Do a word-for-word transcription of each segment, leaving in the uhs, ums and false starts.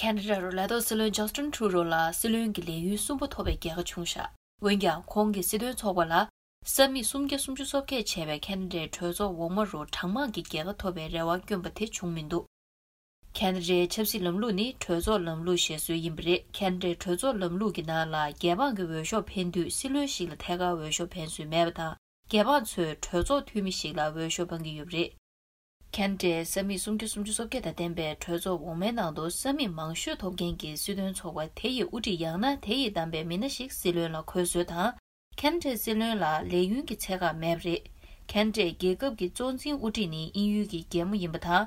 ཁེ་ན་ཌ་རུ་ལས་ཐོག་སྲིད་བློན་ཇ་སི་ཊིན་ཊུ་རུ་ལ་སྲིད་བློན་གྱི་ལས་ཡུན་གསུམ་པ་ཐོབ་པའི་རྒྱལ་ཁ་བྱུང་བཞག་འོན་ཀྱང་ཁོང་གི་སྲིད་དོན་ཚོགས་པ་ལ་ས་མིག་སུམ་བརྒྱ་སུམ་ཅུ་སོ་བརྒྱད་བྱས་པའི་ཁེ་ན་ཌའི་གྲོས་ཚོགས་འོག་མ་རུ་གྲངས་མང་གི་རྒྱལ་ཁ་ཐོབ་པའི་རེ་བ་བསྐྱོན་པ་དེ་བྱུང་མི་འདུག་ཁེ་ན་ཌའི་ཆབ་སྲིད་ལམ་ལུགས་ནི་གྲོས་ཚོགས་ལམ་ལུགས་ཞེས་བཟོས་ཡིན་པ་རེད། ཁེ་ན་ཌའི་གྲོས་ཚོགས་ལམ་ལུགས་ཀྱི་ནང་ལ་རྒྱལ་འབངས་ཀྱི་འོས་ཤོག་འཕེན་དུས་སྲིད་བློན་ཞིག་ལ་ཐད་ཀར་འོས་ཤོག་འཕེན་སྲོལ་མེད་པ་དང་། རྒྱལ་འབངས་ཚོས་གྲོས་ཚོགས་འཐུས་མི་ཞིག་ལ་འོས་ཤོག་འཕང་གི་ཡོད་པ་རེད། ཁེ་ན་ཌའི་ས་མིག་སུམ་བརྒྱ་སུམ་ཅུ་སོ་བརྒྱད་དང་ལྡན་པའི་གྲོས་ཚོགས་འོག་མའི་ནང་དུ་ས་མིག་མང་ཤོས་ཐོབ་མཁན་གྱི་སྲིད་དོན་ཚོགས་པ་དེ་ཡི་དབུ་ཁྲིད་ཡང་ན་དེ་ཡིས་བདམས་པའི་མི་སྣ་ཞིག་སྲིད་བློན་ལ་འཁོད་སྲོལ་དང་། ཁེ་ན་ཌའི་སྲིད་བློན་ལ་ལས་ཡུན་གྱི་ཚད་བཀག་མེད་པ་རེད། ཁེ་ན་ཌའི་རྒྱལ་ཁབ་ཀྱི་གཙོ་འཛིན་དབུ་ཁྲིད་ནི་དབྱིན་ཡུལ་གྱི་རྒྱལ་མོ་ཡིན་པ་དང་།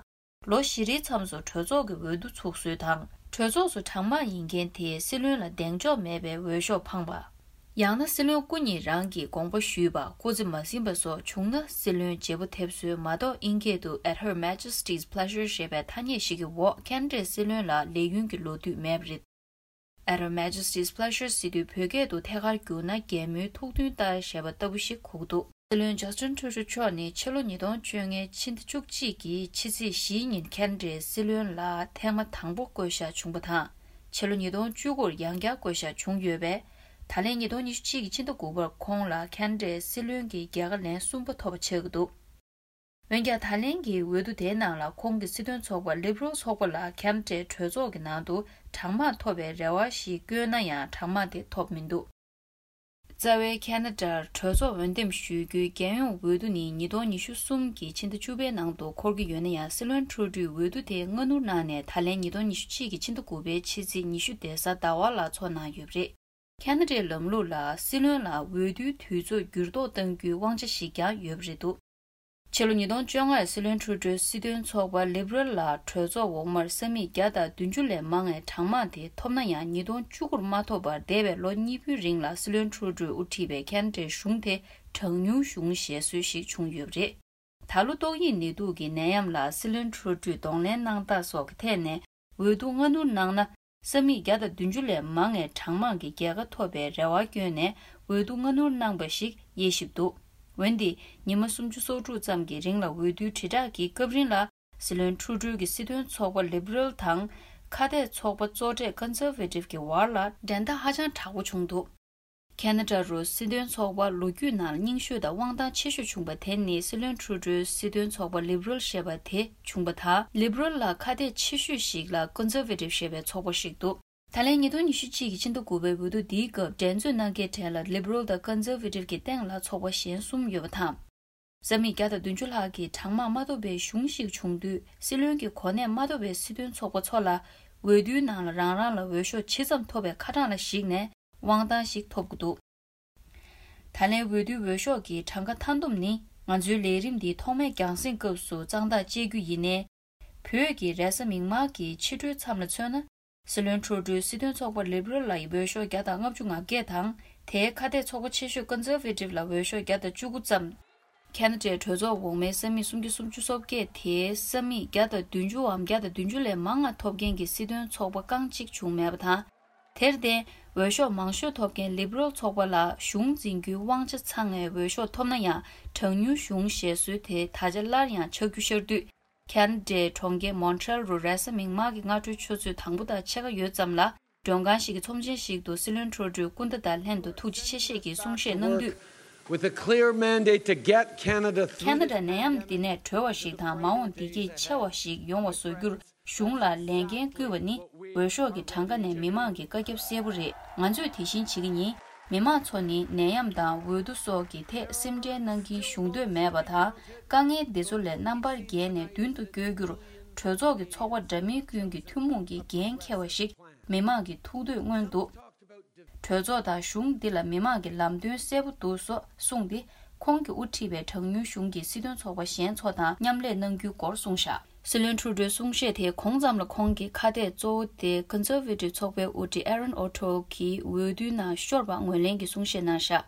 ལོ་བཞི་རེའི་མཚམས་སུ་གྲོས་ཚོགས་ཀྱི་འོས་བསྡུ་ཚུགས་སྲོལ་དང་། གྲོས་ཚོགས་སུ་གྲངས་མང་ཡིན་མཁན་དེས་སྲིད་བློན་ལ་གདེང་འཇོག་མེད་པའི་འོས་ཤོག་འཕངས་པ། ཡང་ན་སྲིད་བློན་སྐུ་ཉིད་རང་གིས་དགོངས་པ་ཞུས་པ་སྐུ་ཚེ་མ་ཟིན་པ་སོགས་བྱུང་ན་སྲིད་བློན་བརྗེ་པོ་ཐེབས་སྲོལ་མ་གཏོགས་དབྱིན་སྐད་དུ་At Her Majesty's Pleasure ཞེས་པའི་ཐ་སྙད་ཞིག་གི་འོག་ཁེ་ན་ཌའི་སྲིད་བློན་ལ་ལས་ཡུན་གྱི་ལོ་དུས་མེད་པ་རེད། At Her Majesty's Pleasure ཟེར་དུས་བོད་སྐད་དུ་ཐད་ཀར་བསྒྱུར་ན་རྒྱལ་མོའི་ཐུགས་མཐུན་ལྟར་ཞེས་པ་ལྟ་བུ་ཞིག་གོ་གི་འདུག་སྲིད་བློན་ཇ་སི་ཊིན་ཊུ་རུ་མཆོག་ནི་ཕྱི་ལོ་ཉིས་སྟོང་བཅོ་ལྔའི་ཕྱི་ཟླ་བཅུ་གཅིག་གི་ཕྱི་ཚེས་བཞིའི་ཉིན་ཁེ་ན་ཌའི་སྲིད་བློན་ལ་ཐེངས་མ་དང་པོ་བསྐོས་བཞག་བྱུང་བ་དང་། ཕྱི་ལོ་ཉིས་སྟོང་བཅུ་དགུར་ཡང་བསྐྱར་བསྐོས་བཞག་བྱུང་ཡོད་པས། ད་ལན་ཉིས་སྟོང་ཉི་ཤུ་གཅིག་གི་ཕྱི་ཟླ་དགུ་པར་ཁོང་ལ་ཁེ་ན་ཌའི་སྲིད་བློན་གྱི་རྒྱལ་ཁ་ལན་གསུམ་པ་ཐོབ་པ་ཆགས་ཀྱི་འདུག་འོན་ཀྱང་ད་ལན་གྱི་འོས་བསྡུ་དེའི་ནང་ལ་ཁོང་གི་སྲིད་དོན་ཚོགས་པ་ལིབ་རལ་ཚོགས་པ་ལ་ཁེ་ན་ཌའི་གྲོས་ཚོགས་ཀྱི་ནང་དུ་གྲངས་མང་ཐོབ་པའི་རེ་བ་ཞིག་བསྐྱོན་ན་ཡང་གྲངས་མང་དེ་ཐོབ་མི་འདུག་རྩ་བའི་ཁེ་ན་ཌར་གྲོས་ཚོགས་འོས་འདེམས་ཞུ་རྒྱུའི་རྒྱལ་ཡོངས་འོས་བསྡུ་ནི་ཉིས་སྟོང་ཉི་ཤུ་གསུམ་གྱི་ཕྱི་ཟླ་བཅུ་པའི་ནང་དུ་འཁོར་གྱི་ཡོད་ན་ཡང་། སྲིད་བློན་ཁྲུ་ཌོས་འོས་བསྡུ་དེ་སྔ་སྣུར་གནང་ནས་ད་ལན་ཉིས་སྟོང་ཉི་ཤུ་གཅིག་གི་ཕྱི་ཟླ་དགུ་པའི་ཕྱི་ཚེས་ཉི་ཤུ་རེས་གཟའ་ཟླ་བ་ལ་འཚོགས་གནང་ཡོད་པ་རེད། ཁེ་ན་ཌའི་ལམ་ལུགས་ལ་སྲིད་བློན་ལ་འོས་བསྡུའི་དུས་ཚོད་འགྱུར་ལྡོག་གཏང་རྒྱུའི་དབང་ཆ་ཞིག་ཀྱང་ཡོད་པ་རེད་འདུག་ཕྱི་ལོ་ཉིས་སྟོང་བཅོ་ལྔ་ལ་སྲིད་བློན་ཁྲུ་ཌོས་སྲིད་དོན་ཚོགས་པ་ལིབ་རལ་ལ་གྲོས་ཚོགས་འོག་མར་ས་མིག་བརྒྱ་དང་བདུན་ཅུ་ལས་མང་བའི་གྲངས་མང་དེ་ཐོབ་ན་ཡང་། ཉིས་སྟོང་བཅུ་དགུར་མ་ཐོབ་པར་འདས་པའི་ལོ་གཉིས་པོའི་རིང་ལ་སྲིད་བློན་ཁྲུ་ཌོས་དབུ་ཁྲིད་པའི་ཁེ་ན་ཌའི་གཞུང་དེ་གྲངས་ཉུང་གཞུང་ཞེས་སྲོལ་ཞིག་བྱུང་ཡོད་པ་རེད། ད་ལོ་ཏོག་དབྱིབས་ནད་དུག་གི་ནད་ཡམས་ལ་སྲིད་བློན་ཁྲུ་ཌོས་གདོང་ལེན་གནང་སྟངས་སོགས་ཀྱི་ཐད་ནས་འོས་བསྡུ་སྔ་སྣུར་གནང་ན། ས་མིག་བརྒྱ་དང་བདུན་ཅུ་ལས་མང་བའི་གྲངས་མང་གི་རྒྱལ་ཁ་ཐོབ་པའི་རེ་བ་བསྐྱོན་ནས་འོས་བསྡུ་སྔ་སྣུར་གནང་པ་ཞིག་དབྱེ་ཞིབ་འདུག་འོན་ཏེ། ཉི་མ་སུམ་ཅུ་སོ་དྲུག་ཙམ་གྱི་རིང་ལ་འོས་བསྡུའི་དྲིལ་བསྒྲགས་ཀྱི་སྐབས་རིང་ལ། སྲིད་བློན་ཁྲུ་ཌོ་གི་སྲིད་དོན་ཚོགས་པ་ལིབ་རལ་དང་། ཁ་གཏད་ཚོགས་པ་གཙོ་གྲས་ཀོན་སར་ཝེ་ཊིབ་ཀྱི་བར་ལ་འགྲན་ཟླ་ཧ་ཅང་དྲག་པོ་བྱུང་འདུག་ཁེ་ན་ཌ་རུ་སྲིད་དོན་ཚོགས་པ་ལོ་རྒྱུས་ནང་རྙིང་ཤོས་དང་དབང་ཐང་ཆེ་ཤོས་བྱུང་པ་དེ་ནི་སྲིད་བློན་ཁྲུ་ཌོའི་སྲིད་དོན་ཚོགས་པ་ལིབ་རལ་ཞེས་པ་དེ་བྱུང་པ་དང་། ལིབ་རལ་ལ་ཁ་གཏད་ཆེ་ཤོས་ཤིག་ལ་ཀོན་སར་ཝེ་ཊིབ་ཞེས་པའི་ཚོགས་པ་ཞིག་འདུག་ད་ལན་ཉིས་སྟོང་ཉི་ཤུ་གཅིག་གི་ཕྱི་ཟླ་དགུ་པའི་འོས་བསྡུ་འདིའི་སྐབས་འགྲན་རྩོད་གནང་མཁན་གྲས་ལ་ལིབ་རལ་དང་ཀོན་སར་ཝེ་ཊིབ་ཀྱི་སྟེང་ལ་ཚོགས་པ་གཞན་གསུམ་ཡོད་པ་དང་། ས་མིག་བརྒྱ་དང་བདུན་ཅུ་ལྷག་གིས་གྲངས་མང་མ་ཐོབ་པའི་གཞུང་ཞིག་བྱུང་དུས། སྲིད་བློན་གྱི་གོ་གནས་མ་ཐོབ་པའི་སྲིད་དོན་ཚོགས་པ་ཚོ་ལ་འོས་བསྡུའི་ནང་ལ་རང་རང་ལ་འོས་ཤོག་ཇི་ཙམ་ཐོབ་པའི་ཁ་གྲངས་ལ་གཞིགས་ནས་དབང་ཐང་ཞིག་ཐོབ་དགོས་འདུག་ད་ལན་འོས་བསྡུའི་འོས་ཤོག་གི་གྲངས་ཀ་མཐའ་བསྡོམས་ནི། ང་ཚོའི་ལས་རིམ་འདི་ཐོག་མའི་རྒྱང་སྲིང་སྐབས་སུ་གཙང་ཐག་བཅད་རྒྱུ་ཡིན་ནའི། བོད་ཀྱི་རེས་གཟའ་མིག་དམར་གྱི་ཕྱི་དྲོའི་མཚམས་ལ་མཚོན་ན། སྲིད་བློན་ཁྲུ་ཌོའི་སྲིད་དོན་ཚོགས་པ་ལིབ་རལ་ལ་ཡི་འོས་ཤོག་བརྒྱ་དང་ལྔ་བཅུ་ང་བརྒྱད་དང་། དེའི་ཁ་གཏད་ཚོགས་པ་ཆེ་ཤོས་ཀོན་སར་ཝེ་ཊིབ་ལ་འོས་ཤོག་བརྒྱ་དང་བཅུ་དགུ་ཙམ། ཁེ་ན་ཌའི་གྲོས་ཚོགས་འོག་མའི་ས་མིག་སུམ་བརྒྱ་སུམ་ཅུ་སོ་བརྒྱད་དེའི་ས་མིག་བརྒྱ་དང་བདུན་ཅུའམ་བརྒྱ་དང་བདུན་ཅུ་ལས་མང་བ་ཐོབ་མཁན་གྱི་སྲིད་དོན་ཚོགས་པ་རྐང་གཅིག་བྱུང་མེད་པ་དང་། དེར་བརྟེན། འོས་ཤོག་མང་ཤོས་ཐོབ་མཁན་ལིབ་རལ་ཚོགས་པ་ལ་གཞུང་འཛིན་རྒྱུའི་དབང་ཆ་ཚང་བའི་འོས་ཤོག་ཐོབ་ན་ཡང་། གྲངས་ཉུང་གཞུང་ཞེས་སྲོལ་དེ་ད་ཆ་སླར་ཡང་ཆགས་རྒྱུ་ཤར་དུས། ཁེ་ན་ཌའི་གྲོང་ཁྱེར་མོན་ཊི་རེལ་རུ་རེས་གཟའ་མིག་དམར་གྱི་སྔ་དྲོའི་ཆུ་ཚོད་དང་པོ་དང་ཕྱེད་ཀ་ཡོལ་ཙམ་ལ། མགྲོན་ཁང་ཞིག་གི་ཚོམས་ཆེན་ཞིག་ཏུ་སྲིད་བློན་ཁྲུ་ཌོས་སྐུ་ཟླ་དང་ལྷན་དུ་ཐུགས་རྗེ་ཆེ་བཞེས་ཀྱི་གསུང་བཤད་གནང་དུས། With a clear mandate to get Canada through ཁེ་ན་ཌ་ནད་ཡམས་འདི་ནས་གྲོལ་བ་ཞིག་དང་། མ་འོངས་བདེ་སྐྱིད་ཆེ་བ་ཞིག་ཡོང་བ་བཟོ་རྒྱུར་གཞུང་ལ་ལས་འགན་བསྐུལ་བ་ནི། འོས་ཤོག་གི་གྲངས་ཀ་ནས་མི་མང་གི་བཀའ་ཁྱབ་གསལ་པོ་རེད། ང་ཚོས་དེ་བཞིན་བྱེད་ཀྱི་ཡིན། མི་མང་ཚོ་ནི་ནད་ཡམས་དང་འོས་བསྡུ་སོགས་ཀྱི་ཐད་སེམས་ཁྲལ་གནང་གིན་བཞུགས་འདོད་མེད་པ་དང་། དཀའ་ངལ་འདི་ཚོ་ལས་རྣམ་པར་རྒྱལ་ནས་མདུན་དུ་བསྐྱོད་རྒྱུར། གྲོས་ཚོགས་ཀྱི་ཚོགས་པ་འདྲ་མིན་ཀུན་གྱི་ཐུན་མོང་གི་འགན་འཁྱེར་བ་ཞིག་མི་མང་གི་ཐུགས་འདོད་མངོན་འདུག་གྲོས་ཚོགས་དང་གཞུང་འདི་ལ་མི་མང་གི་ལམ་སྟོན་གསལ་པོ་འདུག་སོགས་གསུངས་ཏེ། ཁོང་གིས་དབུ་ཁྲིད་པའི་གྲངས་ཉུང་གཞུང་གི་སྲིད་དོན་ཚོགས་པ་གཞན་ཚོ་དང་མཉམ་ལས་གནང་རྒྱུའི་སྐོར་གསུངས་བཞག་སྲིད་བློན་ཁྲུ་ཌོའི་གསུང་བཤད་དེའི་གོང་ཙམ་ལ། ཁོང་གི་ཁ་གཏད་གཙོ་བོ་དེ་ཀོན་སར་ཝེ་ཊིབ་ཚོགས་པའི་དབུ་ཁྲིད་ཨེ་རོན་ཨོ་ཊོལ་གྱིས་འོས་བསྡུའི་ནང་ཤོར་བ་ངོས་ལེན་གྱི་གསུང་བཤད་གནང་བཞག་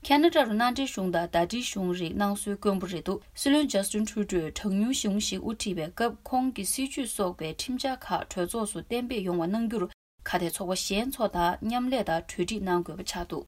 ཁེ་ན་ཌ་རུ་མནའ་འབྲེལ་གཞུང་དང་ཟླ་སྒྲིལ་གཞུང་རིགས་གནང་སྲོལ་དཀོན་པོ་རེད་འདུག་སྲིད་བློན་ཇ་སི་ཊིན་ཁྲུ་ཌོས་གྲངས་ཉུང་གཞུང་ཞིག་དབུ་ཁྲིད་པའི་སྐབས། ཁོང་གི་སྲིད་བྱུས་སོགས་པའི་ཁྲིམས་འཆར་ཁག་གྲོས་ཚོགས་སུ་གཏན་འབེབས་ཡོང་བ་གནང་རྒྱུར། ཁ་གཏད་ཚོགས་པ་གཞན་ཚོ་དང་མཉམ་ལས་དང་གྲོས་སྒྲིག་གནང་དགོས་པ་ཆགས་འདུག